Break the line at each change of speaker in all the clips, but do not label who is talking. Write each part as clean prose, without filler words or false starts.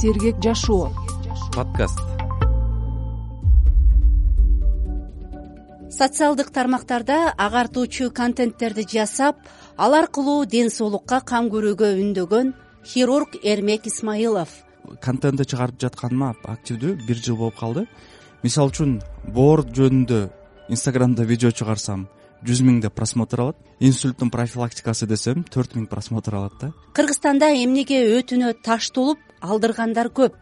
Сергек жашоо
подкаст.
Социалдык тармактарда агартуучу контенттерди жасап, ал аркылуу ден соолукка кам көрүүгө үндөгөн хирург Эрмек Исмаилов.
Контентти чыгарып жатканыма активдүү 1 жыл болуп калды. Мисалы үчүн боор жөнүндө Инстаграмда видео чыгарсам 100 000 просмотр алат. Инсульттун профилактикасы десем 4 000 просмотр алат да.
Кыргызстанда эмнеге өтүнө таш толуп алдыргандар көп.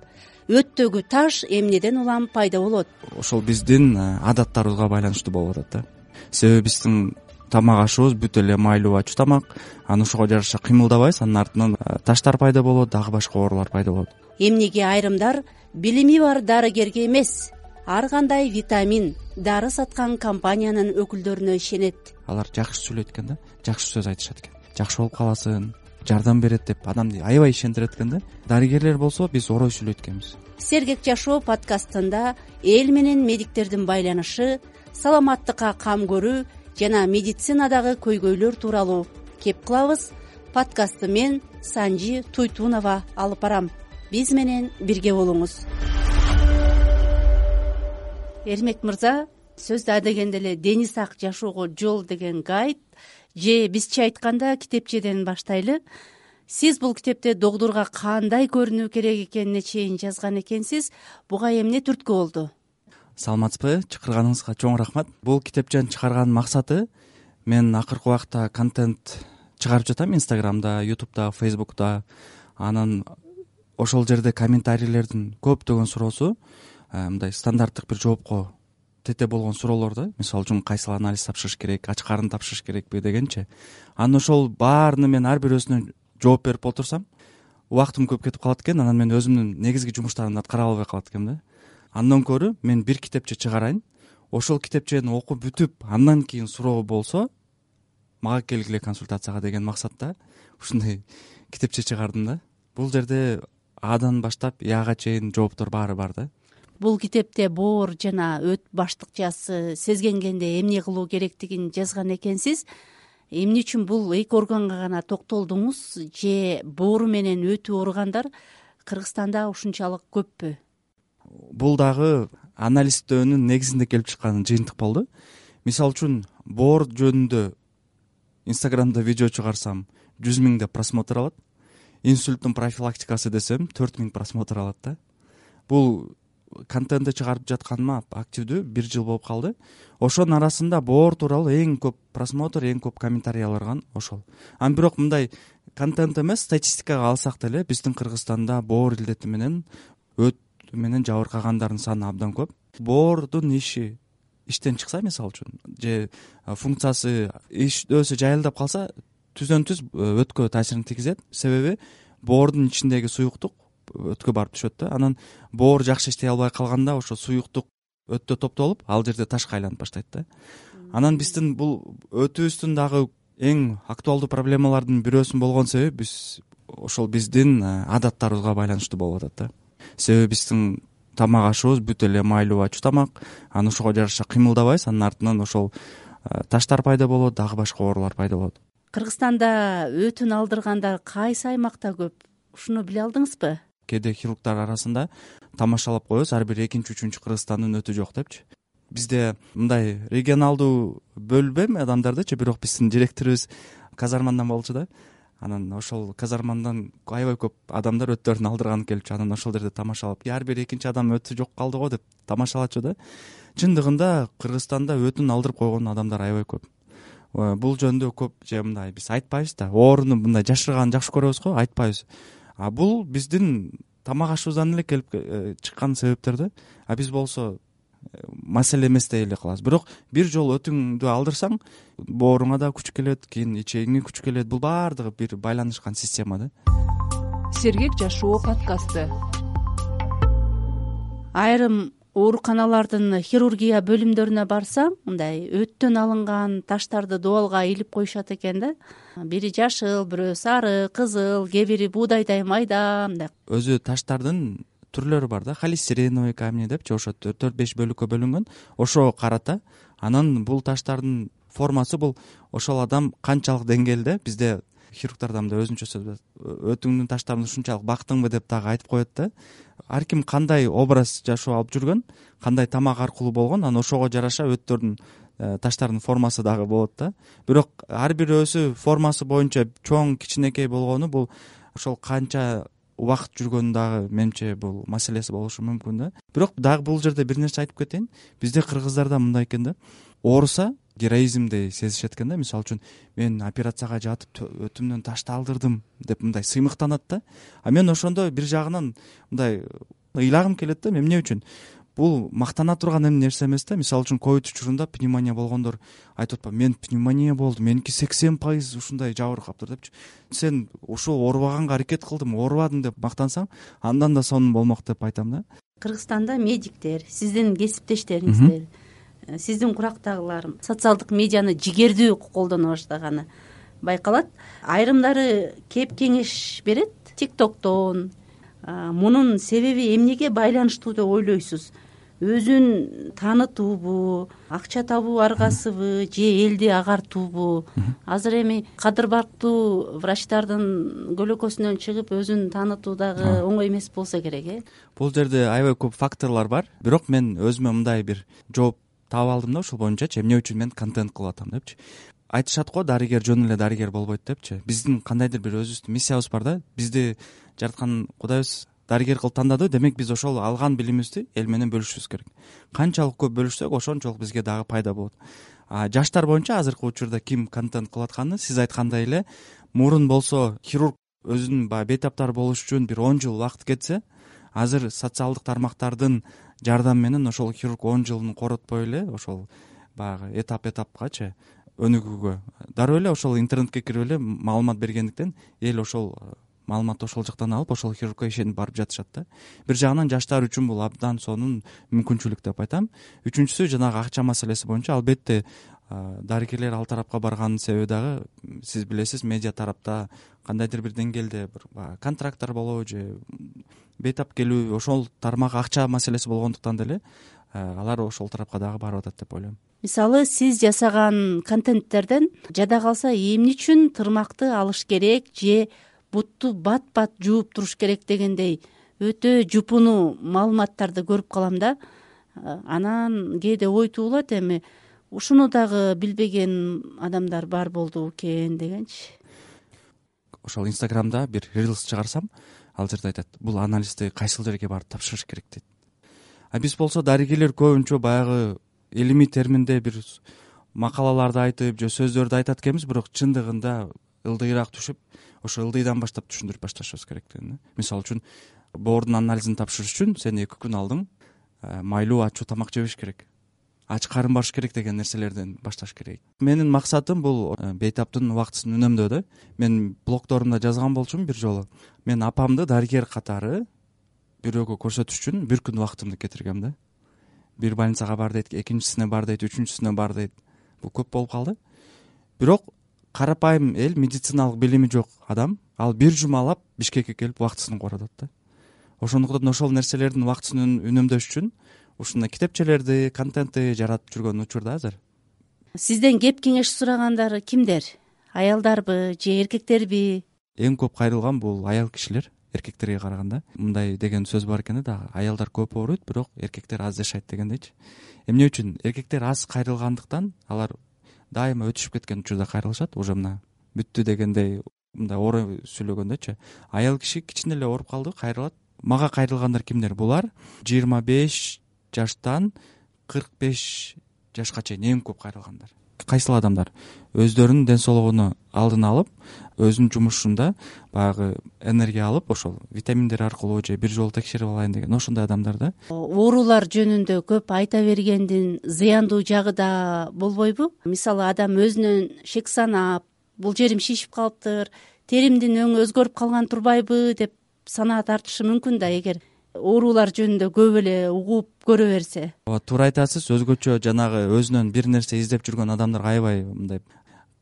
Өттөгү таш эмнеден улам пайда болот?
Ошол биздин адаттарыбызга байланыштуу болуп атат да. Себеби биздин тамак ашыбыз бүт эле майлуу ачуу тамак. Аны ошого жараша кыймылдабайбыз, анын артынан таштар пайда болот, дагы башка оорулар пайда болот.
Эмнеге айрымдар билими бар дарыгерге эмес, ар кандай витамин, дары саткан компаниянын өкүлдөрүнө ишенет?
Алар жакшы сүйлөйт экен да, жакшы сөз айтышат экен. Жакшы болуп каласың, жардам берет деп адамды аябай ишендирет экен да. Дарыгерлер болсо биз орой сүйлөйт экенбиз.
Сергек жашоо подкастында эл менен медиктердин байланышы, саламаттыкка кам көрүү жана медицинадагы көйгөйлөр тууралуу кеп кылабыз. Подкастты мен Санжи Туйтунова алып барам. Биз менен бирге болуңуз. Эрмек мырза, сөздө адегенде эле дени сак жашоого жол деген гайд же бизче айтканда китепчеден баштайлы. Сиз бул китепте догдурга кандай көрүнүү керек экенине чейин жазган экенсиз. Буга эмне түрткү болду?
Саламатсызбы? Чакырганыңызга чоң рахмат. Бул китепчени чыгарганын максаты, мен акыркы убакта контент чыгарып жатам Инстаграмда, Ютубда, Фейсбукта. Анан ошол жерде комментарийлердин көптөгөн суроосу мындай стандарттык бир жоопко тете болгон суроолор да. Мисалы үчүн кайсыл анализ тапшырыш керек, ач карын тапшырыш керекпи дегенчи. Анан ошол баарына мен ар бир бирөөсүнө жооп берип отурсам, убактым көп кетип калат экен. Анан мен өзүмдүн негизги жумуштарымды аткара албай калат экенмин да. Андан көрө мен бир китепче чыгарайын. Ошол китепчени окуп бүтүп, андан кийин суроо болсо, мага келгиле консультацияга деген максатта ушундай китепче чыгардым да. Бул жерде Адан баштап Яга чейин жооптор баары бар да.
Бул китепте боор жана өт баштыкчасы сезгенгенде эмне кылуу керектигин жазган экенсиз. Эмне үчүн бул эки органга гана токтолдуңуз же боору менен өтү ооругандар Кыргызстанда ушунчалык көппү?
Бул дагы анализдөөнүн негизинде келип чыккан жыйынтык болду. Мисалы үчүн боор жөнүндө Инстаграмда видео чыгарсам 100 000 просмотр алат. Инсульттун профилактикасы десем 4 000 просмотр алат да. Бул контентти чыгарып жатканыма активдүү 1 жыл болуп калды. Ошонун арасында боор тууралуу эң көп просмотр, эң көп комментарий алган ошол. Бирок мындай контент эмес, статистикага алсак деле биздин Кыргызстанда боор илдети менен өт менен жабыркагандардын саны абдан көп. Боордун иштен чыкса, мисалы үчүн, же функциясы иштөөсү жайылдап калса, түздөн түз өткө таасирин тийгизет. Себеби боордун ичиндеги суюктук өткө барып түшөт да. Анан боор жакшы иштей албай калганда ошо суюктук өттө топтолуп, ал жерде ташка айланып баштайт да. Анан биздин бул өтүбүздүн дагы эң актуалдуу проблемалардын бирөөсүн болгон себеби биз ошол биздин адаттарыбызга байланыштуу болуп атат да. Себеби биздин тамак ашыбыз бүт эле майлуу ачуу тамак. Аны ошого жараша кыймылдабайбыз, анын артынан ошол таштар пайда болот, дагы башка оорулар пайда болот.
Кыргызстанда өтүн алдыргандар кайсы аймакта көп? Ушуну биле алдыңызбы?
Кээде хирургдар арасында тамашалап коебуз, ар бир экинчи, үчүнчү Кыргызстандын өтү жок депчи. Бизде мындай регионалдуу бөлбөйм адамдардычы, бирок биздин директорубуз казармандан болчу да. Анан ошол казармандан аябай көп адамдар өттөрүн алдырганы келипчи. Анан ошол жерде тамашалап, ар бир экинчи адам өтү жок калды го деп тамашалачу да. Чындыгында Кыргызстанда өтүн алдырып койгон адамдар аябай көп. Бул жөндө көп же мындай биз айтпайбыз да. Ооруну мындай жашырганды жакшы көрөбүз го, айтпайбыз. Бул биздин тамак ашыбыздан эле келип чыккан себептер да. Биз болсо маселе эмес дей эле калабыз. Бирок бир жолу өтүңдү алдырсаң, бооруңа да күч келет, кийин ичегиңе күч келет. Бул баардыгы бир байланышкан система да.
Сергек жашоо подкасты.
Айрым ооруканалардын хирургия бөлүмдөрүнө барсам, мындай өттөн алынган таштарды дубалга илип коюшат экен да. Бири жашыл, бирөө сары, кызыл, кээ бири буудайдай майда мындай.
Өзү таштардын түрлөрү бар да. Холестериновый камни депчи, ошо 4-5 бөлүккө бөлүнгөн. Ошого карата. Анан бул таштардын формасы бул ошол адам канчалык деңгээлде, бизде хирургдарда мындай өзүнчө сөз бар, өтүңдүн таштарын ушунчалык бактыңбы деп дагы айтып коет да. Ар ким кандай образ жашоо алып жүргөн, кандай тамак аркылуу болгон, анан ошого жараша өттөрдүн таштардын формасы дагы болот да. Бирок ар бирөөсү формасы боюнча чоң кичинекей болгону бул ошол канча убакыт жүргөнүн дагы менимче бул маселеси болушу мүмкүн да. Бирок дагы бул жерде бир нерсе айтып кетейин. Бизде кыргыздарда мындай экен да, ооруса героизмди сезишет экен да. Мисалы үчүн мен операцияга жатып өтүмдөн ташты алдырдым деп мындай сыймыктанат да. А мен ошондо бир жагынан мындай ыйлагым келет да, эмне үчүн бул мактана турган нерсе эмес да. Мисалы үчүн ковид учурунда пневмония болгондор айтып атпайбы, мен пневмония болду, меники 80% ушундай жабыр каптыр депчи. Сен ушул оорубаганга аракет кылдым, оорубадым деп мактансаң, андан да сонун болмок деп айтам да.
Кыргызстанда медиктер, сиздин кесиптештериңиздер, сиздин курактагылар социалдык медианы жигердүү колдоно баштаганы байкалат. Айрымдары кеп кеңеш берет ТикТоктон. Мунун себеби эмнеге байланыштуу деп ойлойсуз? Өзүн таанытуубу, акча табуу аргасыбы, же элди агартуубу? Азыр эми кадыр барктуу врачтардын көлөкөсүнөн чыгып өзүн таанытуу дагы оңой эмес болсо керек,
Бул жерде аябай көп факторлор бар. Бирок мен өзүмө мындай бир жооп таап алдым да, ушул боюнчачы, эмне үчүн мен контент кылып атам депчи. Айтышат го, дарыгер жөн эле дарыгер болбойт депчи. Биздин кандайдыр бир өзүбүздүн миссиябыз бар да. Бизди жараткан Кудайыбыз дарыгер кылып тандады, демек биз ошол алган билимибизди эл менен бөлүшүбүз керек. Канчалык көп бөлүшсөк, ошончолук бизге дагы пайда болот. Жаштар боюнча азыркы учурда ким контент кылып атканы, сиз айткандай эле, мурун болсо хирург өзүнүн баягы бейтаптар болуш үчүн бир 10 жыл убакыт кетсе, азыр социалдык тармактардын жардамы менен ошол хирург 10 жылын коротпой эле ошол баягы этапкачы өнүгүүгө дароо эле ошол интернетке кирип эле маалымат бергендиктен эл ошол маалыматты ошол жактан алып ошол хирургка ишенип барып жатышат да. Бир жагынан жаштар үчүн бул абдан сонун мүмкүнчүлүк деп айтам. Үчүнчүсү жанагы акча маселеси боюнча албетте дарыгерлер ал тарапка барганын себеби дагы сиз билесиз, медиа тарапта кандайдыр бир деңгээлде бир контракттар болобу же бейтап келүү, ошол тармак акча маселеси болгондуктан деле алар ошол тарапка дагы барып атат деп ойлойм.
Мисалы, сиз жасаган контенттерден жада калса эмне үчүн тырмакты алыш керек же бутту бат жууп туруш керек дегендей өтө жупуну маалыматтарды көрүп калам да. Анан кээде ой туулат, эми ушуну дагы билбеген адамдар бар болду экен дегенчи.
Ошол Инстаграмда бир рилс чыгарсам, ал жерде айтат, бул анализди кайсыл жерге барып тапшырыш керек дейт. Биз болсо дарыгерлер көбүнчө баягы илимий терминде бир макалаларды айтып же сөздөрдү айтат экенбиз, бирок чындыгында ылдыйраак түшүп, ошо ылдыйдан баштап түшүндүрүп башташыбыз керек деген. Мисалы үчүн боордун анализин тапшырыш үчүн сен 2 күн алдың майлуу ачуу тамак жебеш керек, ач карын барыш керек деген нерселерден башташ керек. Менин максатым бул бейтаптын убактысын үнөмдөө да. Мен блогдорумда жазган болчумун бир жолу. Мен апамды дарыгер катары бирөөгө көрсөтүш үчүн 1 күн убактымды кетиргем да. Бир больницага бар дейт, экинчисине бар дейт, үчүнчүсүнө бар дейт. Бул көп болуп калды. Бирок карапайым эл, медициналык билими жок адам, ал 1 жумалап Бишкекке келип убактысын коротот да. Ошондуктан ошол нерселердин убактысын үнөмдөш үчүн ушундай китепчелерди, контентти жаратып жүргөн учурда азыр.
Сизден кеп кеңеш сурагандар кимдер? Аялдарбы же эркектерби?
Эң көп кайрылган бул аял кишилер, эркектерге караганда. Мындай деген сөз бар экен да, аялдар көп ооруйт, бирок эркектер аз жашайт дегендейчи. Эмне үчүн? Эркектер аз кайрылгандыктан алар дайыма өтүшүп кеткен учурда кайрылышат, уже мына бүттү дегендей мындай оор сүйлөгөндөчү. Аял киши кичине эле ооруп калды, кайрылат. Мага кайрылгандар кимдер? Булар 25 жаштан 45 жашка чейин эң көп кайрылгандар. Кайсыл адамдар өздөрүнүн ден соолугуну алдын алып, өзүнүн жумушунда баягы энергия алып, ошол витаминдер аркылуу же бир жолу текшерип алайын деген ошондой адамдар да.
Оорулар жөнүндө көп айта бергендин зыяндуу жагы да болбойбу? Мисалы, адам өзүнөн шек санап, бул жерим шишип калыптыр, теримдин өңү өзгөрүп калган турбайбы деп санаа тартышы мүмкүн да, эгер оорулар жөнүндө көп эле угуп көрө берсе.
Туура айтасыз, өзгөчө жанагы өзүнөн бир нерсе издеп жүргөн адамдар аябай мындай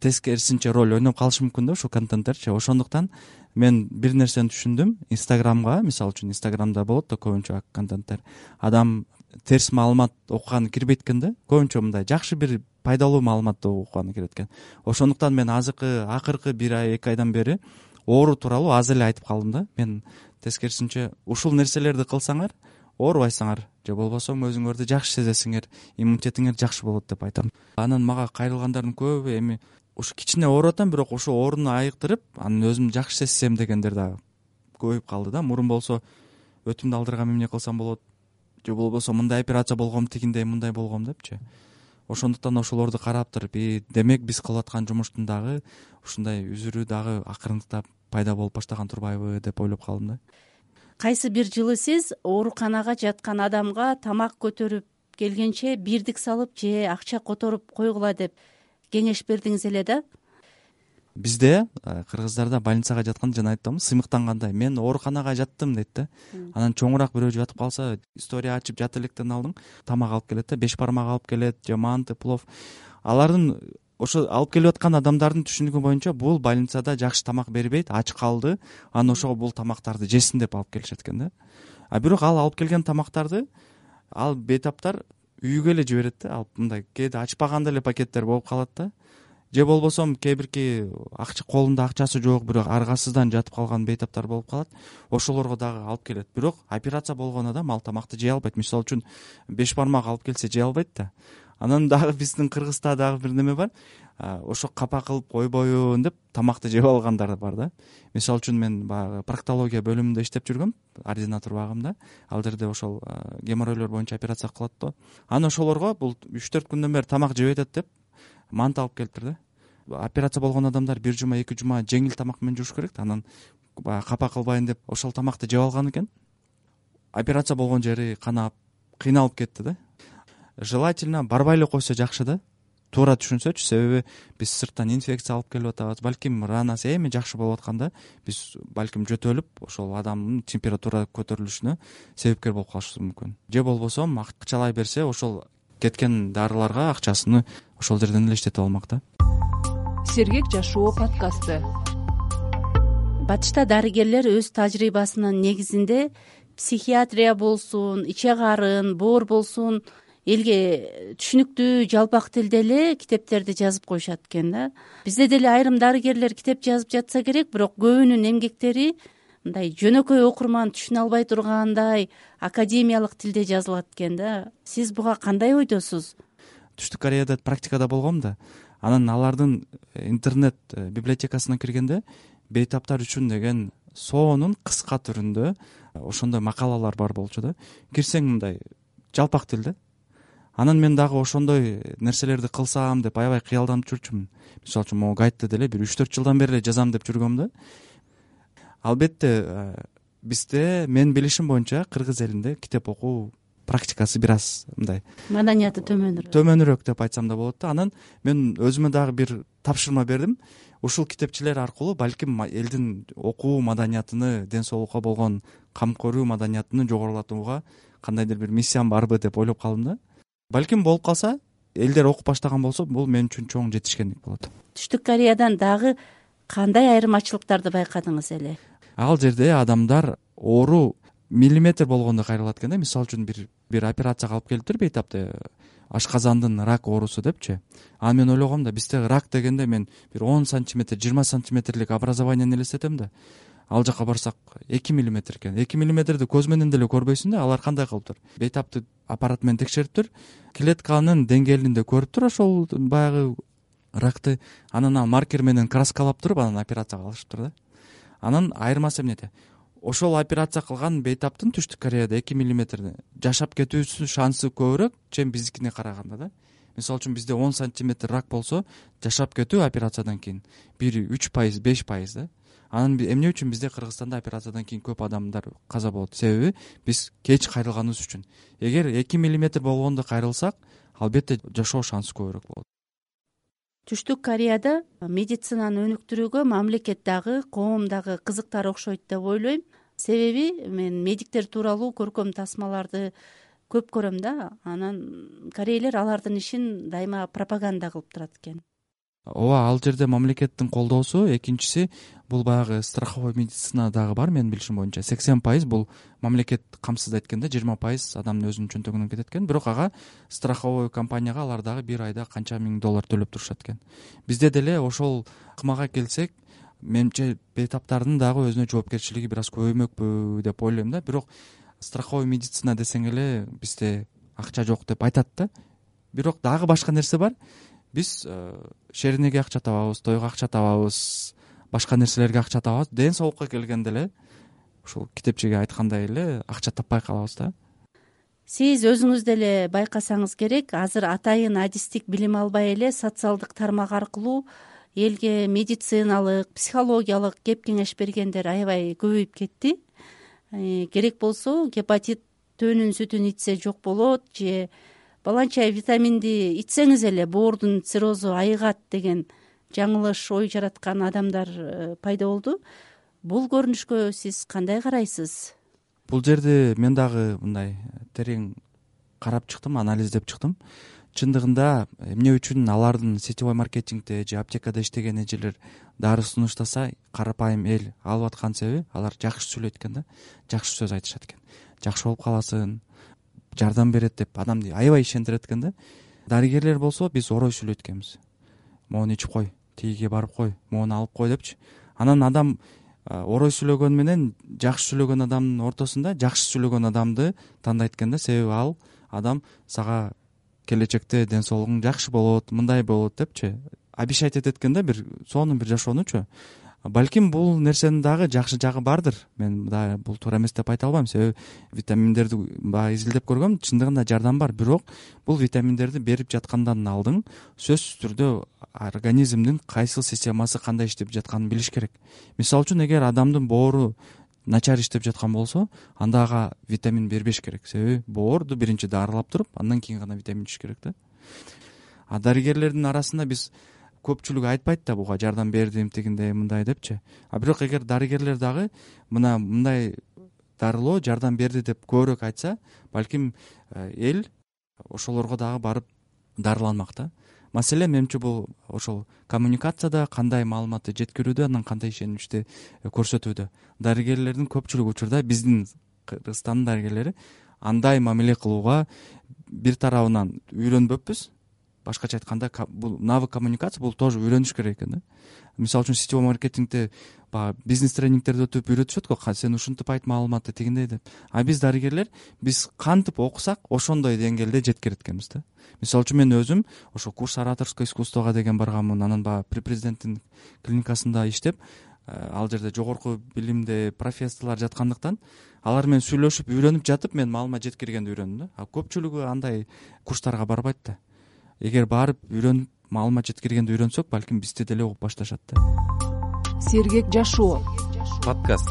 тескерисинче роль ойноп калышы мүмкүн да ушул контенттерчи. Ошондуктан мен бир нерсени түшүндүм. Инстаграмга, мисалы үчүн Инстаграмда болот да көбүнчө контенттер. Адам терс маалымат окуганы кирбейт экен да. Көбүнчө мындай жакшы бир пайдалуу маалыматты окуганы кирет экен. Ошондуктан мен акыркы 1 ай 2 айдан бери оору тууралуу аз эле айтып калдым да. Мен тескерисинче ушул нерселерди кылсаңар оорубайсыңар же болбосо өзүңөрдү жакшы сезесиңер, иммунитетиңер жакшы болот деп айтам. Анан мага кайрылгандардын көбү эми ушу кичине ооруп атам, бирок ошо ооруну айыктырып, анан өзүмдү жакшы сезсем дегендер да көбөйүп калды да. Мурун болсо өтүмдү алдыргам эмне кылсам болот, же болбосо мындай операция болгом, тигиндей мындай болгом депчи. Ошондуктан ошолорду карап туруп, демек биз кылып аткан жумуштун дагы ушундай үзүрү дагы акырындыктап пайда болуп баштаган турбайбы деп ойлоп калдым да.
Кайсы бир жылы сиз ооруканага жаткан адамга тамак көтөрүп келгенче бирдик салып же акча которуп койгула деп кеңеш бердиңиз эле да.
Бизде кыргыздарда больницага жатканда жана айттым, сыймыктангандай мен ооруканага жаттым дейт да. Анан чоңураак бирөө жатып калса, история ачып жат электен алдың, тамак алып келет да, 5 бармак алып келет же манты, плов. Алардын ошо алып келип аткан адамдардын түшүнүгү боюнча бул больницада жакшы тамак бербейт, ач калды, анан ошого бул тамактарды жесин деп алып келишет экен да. Бирок ал алып келген тамактарды ал бейтаптар үйгө эле жиберет да. Алып мындай кээде ачпаганда эле пакеттер болуп калат да. Же болбосо кээ бирки колунда акчасы жок, бирок аргасыздан жатып калган бейтаптар болуп калат. Ошолорго дагы алып келет. Бирок операция болгон адам ал тамакты жей албайт. Мисалы үчүн 5 бармак алып келсе жей албайт да. Анан дагы биздин Кыргызда дагы бир неме бар. Ошо капа кылып койбоюн деп тамакты жеп алгандар бар да. Мисалы үчүн мен баягы проктология бөлүмүндө иштеп жүргөм, ординатор багымда. Ал жерде ошол геморройлор боюнча операция кылат да. Анан ошолорго бул 3-4 күндөн бери тамак жебей атат деп манты алып келиптир да. Операция болгон адамдар 1 жума 2 жума жеңил тамак менен жуш керек. Анан капа кылбайын деп ошол тамакты жеп алган экен. Операция болгон жери канап, кыйналып кетти да. Желательно барбай эле койсо жакшы да. Туура түшүнсөчү, себеби биз сырттан инфекция алып келип атабыз. Балким ранасы эми жакшы болуп атканда биз балким жөтөлүп, ошол адамдын температура көтөрүлүшүнө себепкер болуп калышыбыз мүмкүн. Же болбосо акчалай берсе, ошол кеткен дарыларга акчасыны ошол жерден эле иштетип алмак да.
Сергек жашоо подкасты.
Батышта дарыгерлер өз тажрыйбасынын негизинде психиатрия болсун, иче карын, боор болсун элге түшүнүктүү жалпак тилде эле китептерди жазып коюшат экен да. Бизде деле айрым дарыгерлер китеп жазып жатса керек, бирок көбүнүн эмгектери мындай жөнөкөй окурман түшүнө албай тургандай академиялык тилде жазылат экен да. Сиз буга кандай ойдосуз?
Түштүк Кореяда практикада болгом да. Анан алардын интернет библиотекасына киргенде бейтаптар үчүн деген соонун кыска түрүндө ошондой макалалар бар болчу да. Кирсең мындай жалпак тилде. Анан мен дагы ошондой нерселерди кылсам деп аябай кыялданып жүрчүмүн. Мисалы үчүн могу гайтты деле бир 3-4 жылдан бери эле жазам деп жүргөм да. Албетте бизде мен билишим боюнча кыргыз элинде китеп окуу практикасы бир аз мындай
Маданияты
төмөнүрөөк деп айтсам да болот да. Анан мен өзүмө дагы бир тапшырма бердим. Ушул китепчилер аркылуу балким элдин окуу маданиятыны, ден соолукка болгон кам көрүү маданиятын жогорулатууга кандайдыр бир миссиям барбы деп ойлоп калдым да. Балким болуп калса, элдер окуп баштаган болсо, бул мен үчүн чоң жетишкендик болот.
Түштүк Кореядан дагы кандай айырмачылыктарды байкадыңыз эле?
Ал жерде адамдар оору миллиметр болгондо кайрылат экен да. Мисалы үчүн бир операцияга алып келиптир бейтапты, ашказандын рак оорусу депчи. Анан мен ойлогом да, бизде рак дегенде мен бир 10 сантиметр, 20 сантиметрлик образованияны элестетем да. Ал жака барсак 2 миллиметр экен. 2 миллиметрди көз менен деле көрбөйсүң да. Алар кандай кылыптыр? Бейтапты аппарат менен текшериптир, клетканын деңгээлинде көрүптүр ошол баягы ракты. Анан ал маркер менен краскалап туруп, анан операция кылышыптыр да. Анан айырмасы эмнеде? Ошол операция кылган бейтаптын Түштүк Кореяда 2 миллиметрди жашап кетүүсү шансы көбүрөөк, чем биздикине караганда да. Мисалы үчүн бизде 10 сантиметр рак болсо, жашап кетүү операциядан кийин бири 3%, 5% да. Анан эмне үчүн бизде Кыргызстанда операциядан кийин көп адамдар каза болот? Себеби биз кеч кайрылганыбыз үчүн. Эгер 2 миллиметр болгондо кайрылсак, албетте жашоо шансы көбүрөөк болот.
Түштүк Кореяда медицинаны өнүктүрүүгө мамлекет дагы, коом дагы кызыктар окшойт деп ойлойм. Себеби мен медиктер тууралуу көркөм тасмаларды көп көрөм да. Анан корейлер алардын ишин дайыма пропаганда кылып турат экен.
ооба, ал жерде мамлекеттин колдоосу. Экинчиси бул баягы страховой медицина дагы бар. Менин билишим боюнча 80% бул мамлекет камсыздайт экен да, 20% адамдын өзүнүн чөнтөгүнөн кетет экен. Бирок ага страховой компанияга алар дагы бир айда канча миң доллар төлөп турушат экен. Бизде деле ошол ыкмага келсек, менимче бейтаптардын дагы өзүнө жоопкерчилиги бир аз көбөймөкпү деп ойлойм да. Бирок страховой медицина десең эле бизде акча жок деп айтат да. Бирок дагы башка нерсе бар. Биз шеринеге акча табабыз, тойго акча табабыз, башка нерселерге акча табабыз. Ден соолукка келгенде эле ушул китепчеге айткандай эле акча таппай калабыз да.
Сиз өзүңүз деле байкасаңыз керек, азыр атайын адистик билим албай эле социалдык тармак аркылуу элге медициналык, психологиялык кеп кеңеш бергендер аябай көбөйүп кетти. Керек болсо гепатит төөнүн сүтүн ичсе жок болот же баланча витаминди ичсеңиз эле боордун циррозу айыгат деген жаңылыш ой жараткан адамдар пайда болду. Бул көрүнүшкө сиз кандай карайсыз?
Бул жерде мен дагы мындай терең карап чыктым, анализдеп чыктым. Чындыгында эмне үчүн алардын сетевой маркетингде же аптекада иштеген эжелер дары сунуштаса карапайым эл алып аткан себеби алар жакшы сөйлөйт экен да, жакшы сөз айтышат экен. Жакшы болуп каласың, жардам берет деп адамды аябай ишендирет экен да. Дарыгерлер болсо биз орой сүйлөйт экенбиз. Моуну ичип кой, тигиге барып кой, моуну алып кой депчи. Анан адам орой сүйлөгөн менен жакшы сүйлөгөн адамдын ортосунда жакшы сүйлөгөн адамды тандайт экен да. Себеби ал адам сага келечекте ден соолугуң жакшы болот, мындай болот депчи обещать этет экен да, бир сонун бир жашоонучу. Балким бул нерсенин дагы жакшы жагы бардыр. Мен да бул туура эмес деп айта албайм. Себеби витаминдерди баягы изилдеп көргөм, чындыгында жардам бар. Бирок бул витаминдерди берип жаткандан алдын сөзсүз түрдө организмдин кайсыл системасы кандай иштеп жатканын билиш керек. Мисалы үчүн эгер адамдын боору начар иштеп жаткан болсо, анда ага витамин бербеш керек. Себеби боорду биринчи дарылап туруп, андан кийин гана витамин ичиш керек да. А дарыгерлердин арасында биз көпчүлүгү айтпайт да буга жардам бердим, тигиндей, мындай депчи. А бирок эгер дарыгерлер дагы мындай дарылоо жардам берди деп көбүрөөк айтса, балким эл ошолорго дагы барып дарыланмак да. Маселе менимче бул ошол коммуникацияда, кандай маалыматты жеткирүүдө, анан кандай ишеничти көрсөтүүдө. Дарыгерлердин көпчүлүк учурда биздин Кыргызстандын дарыгерлери андай мамиле кылууга бир тарабынан үйрөнбөппүз. Башкача айтканда, бул навык коммуникация бул тоже үйрөнүш керек экен да. Мисалы үчүн сетевой маркетингде бизнес тренингтерди өтүп үйрөтүшөт го, сен ушинтип айт маалыматты тигиндей деп. А биз дарыгерлер биз кантип окусак ошондой деңгээлде жеткирет экенбиз да. Мисалы үчүн мен өзүм ошо курс ораторское искусствого деген барганмын. Анан при президенттин клиникасында иштеп, ал жерде жогорку билимде профессорлор жаткандыктан алар менен сүйлөшүп үйрөнүп жатып мен маалымат жеткиргенди үйрөндүм да. А көпчүлүгү андай курстарга барбайт да. Эгер барып үйрөнүп маалымат жеткиргенди үйрөнсөк, балким бизди деле угуп башташат да.
Сергек жашоо
подкаст.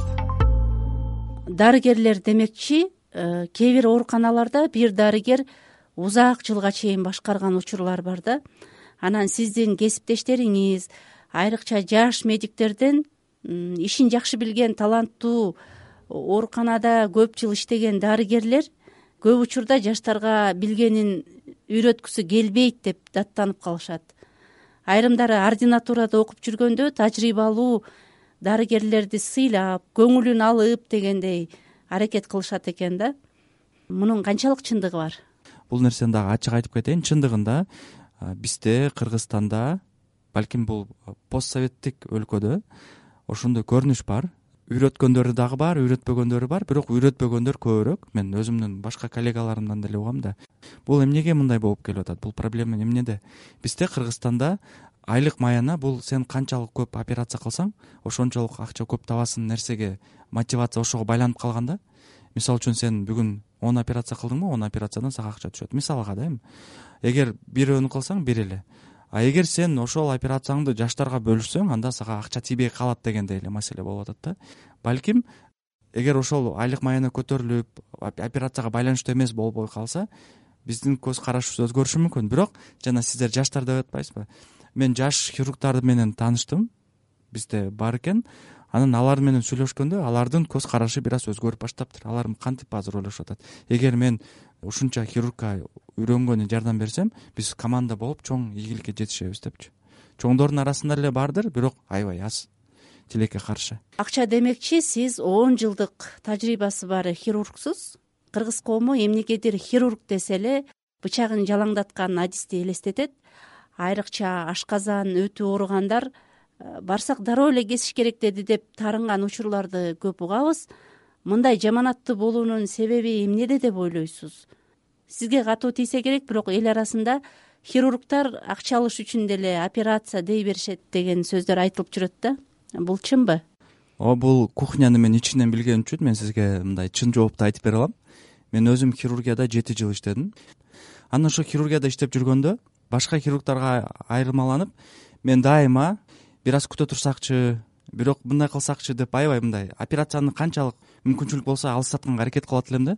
Дарыгерлер демекчи, кээ бир ооруканаларда бир дарыгер узак жылга чейин башкарган учурлар бар да. Анан сиздин кесиптештериңиз, айрыкча жаш медиктерден ишин жакшы билген таланттуу ооруканада көп жыл иштеген дарыгерлер көп учурда жаштарга билгенин үйрөткүсү келбейт деп даттанып калышат. Айрымдары ординатурада окуп жүргөндө тажрыйбалуу дарыгерлерди сыйлап, көңүлүн алып дегендей аракет кылышат экен да. Мунун канчалык чындыгы бар?
Бул нерсени дагы ачык айтып кетейин. Чындыгында бизде Кыргызстанда, балким бул постсоветтик өлкөдө ошондой көрүнүш бар. Үйрөткөндөрү дагы бар, үйрөтпөгөндөрү бар, бирок үйрөтпөгөндөр көбүрөөк. Мен өзүмдүн башка коллегаларымдан деле угам да. Бул эмнеге мындай болуп келип атат? Бул проблема эмнеде? Бизде Кыргызстанда айлык маяна бул сен канчалык көп операция кылсаң, ошончолук акча көп табасың нерсеге мотивация ошого байланып калган да. Мисалы үчүн сен бүгүн 10 операция кылдыңбы, 10 операциядан сага акча түшөт. Мисалга да эми. Эгер бирөөнү кылсаң, бир эле. А эгер сен ошол операцияңды жаштарга бөлүшсөң, анда сага акча тийбей калат дегендей эле маселе болуп атат да. Балким эгер ошол айлык маяна көтөрүлүп, операцияга байланыштуу эмес болбой калса, биздин көз карашыбыз өзгөрүшү мүмкүн. Бирок жана сиздер жаштар деп атпайсызбы? Мен жаш хирургдар менен тааныштым. Бизде бар экен. Анан алар менен сүйлөшкөндө алардын көз карашы бир аз өзгөрүп баштаптыр. Алар кантип азыр ойлошуп атат? Эгер мен ушунча хирургка үйрөнгөнү жардам берсем, биз команда болуп чоң ийгиликке жетишебиз депчи. чоңдордун арасында эле бардыр, бирок аябай аз, тилекке каршы.
Акча демекчи, сиз 10 жылдык тажрыйбасы бар хирургсуз. Кыргыз коому эмнегедир хирург десе эле бычагын жалаңдаткан адисти элестетет. Айрыкча ашказан өтү ооругандар барсак дароо эле кесиш керек деди деп таарынган учурларды көп угабыз. Мындай жаманаттуу болуунун себеби эмнеде деп ойлойсуз? Сизге катуу тийсе керек, бирок эл арасында хирургтар акча алыш үчүн деле операция дей беришет деген сөздөр айтылып жүрөт да. Бул чынбы?
Бул кухняны мен ичинен билген үчүн мен сизге мындай чын жоопту айтып бере алам. Мен өзүм хирургияда 7 жыл иштедим. Анан ошо хирургияда иштеп жүргөндө башка хирургдарга айырмаланып, мен дайыма бир аз күтө турсакчы, бирок мындай кылсакчы деп аябай мындай операцияны канчалык мүмкүнчүлүк болсо алыстатканга аракет кылат элем да.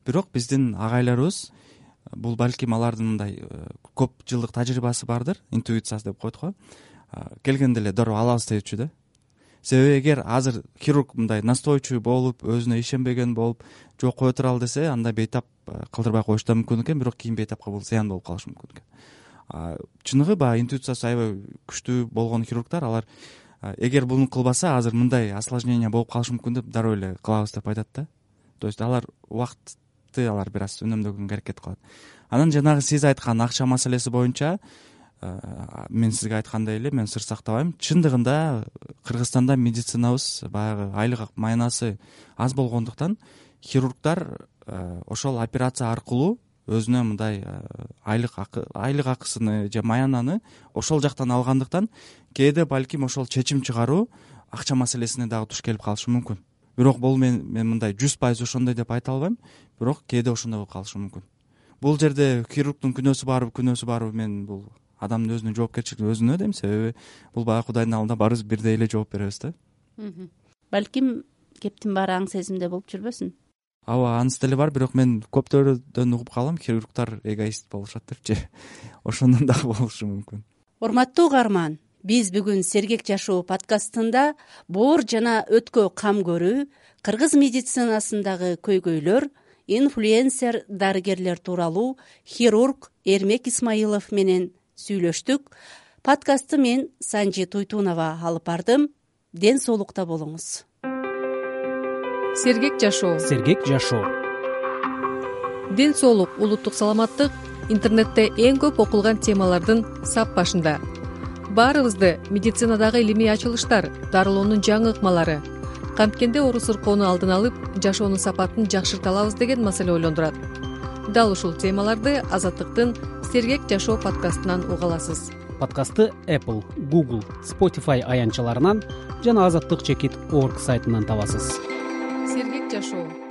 Бирок биздин агайларыбыз, бул балким алардын мындай көп жылдык тажрыйбасы бардыр, интуиция деп коет го. Келгенде эле дароо алабыз депчү да. Себеби эгер азыр хирург мындай настойчивый болуп, өзүнө ишенбеген болуп, жок кое туралы десе, анда бейтап кылдырбай коюшу да мүмкүн экен, бирок кийин бейтапка бул зыян болуп калышы мүмкүн экен. Чыныгы баягы интуициясы аябай күчтүү болгон хирургдар, алар эгер буну кылбаса азыр мындай осложнение болуп калышы мүмкүн деп дароо эле кылабыз деп айтат да. То есть алар убакытты алар бир аз үнөмдөгөнгө аракет кылат. Анан жанагы сиз айткан акча маселеси боюнча мен сизге айткандай эле мен сыр сактабайм. Чындыгында Кыргызстанда медицинабыз баягы айлык маянасы аз болгондуктан хирургдар ошол операция аркылуу өзүнө мындай айлык акысыны же маянаны ошол жактан алгандыктан кээде балким ошол чечим чыгаруу акча маселесине дагы туш келип калышы мүмкүн. Бирок бул мен мындай 100% ошондой деп айта албайм, бирок кээде ошондой болуп калышы мүмкүн. Бул жерде хирургдун күнөөсү барбы, мен бул адамдын өзүнүн жоопкерчилиги өзүнө дейм, себеби бул баягы Кудайдын алдында баарыбыз бирдей эле жооп беребиз да.
Балким кептин баары аң сезимде болуп жүрбөсүн?
Ооба, анысы деле бар, бирок мен көптөрдөн угуп калам, хирургдар эгоист болушат депчи. Ошондон дагы болушу мүмкүн.
Урматтуу угарман, биз бүгүн Сергек жашоо подкастында боор жана өткө кам көрүү, кыргыз медицинасындагы көйгөйлөр, инфлюенсер дарыгерлер тууралуу хирург Эрмек Исмаилов менен сүйлөштүк. Подкастты мен Санжи Туйтунова алып бардым. Ден соолукта болуңуз.
Сергек жашоо.
Сергек жашоо.
Ден соолук, улуттук саламаттык интернетте эң көп окулган темалардын сап башында. Баарыбызды медицинадагы илимий ачылыштар, дарылоонун жаңы ыкмалары, канткенде оору сыркоону алдын алып, жашоонун сапатын жакшырта алабыз деген маселе ойлондурат. Дал ушул темаларды Азаттыктын Сергек жашоо подкастынан уга аласыз.
Подкастты Apple, Google, Spotify аянтчаларынан жана Азаттык.org сайтынан табасыз.
Сергек жашоо.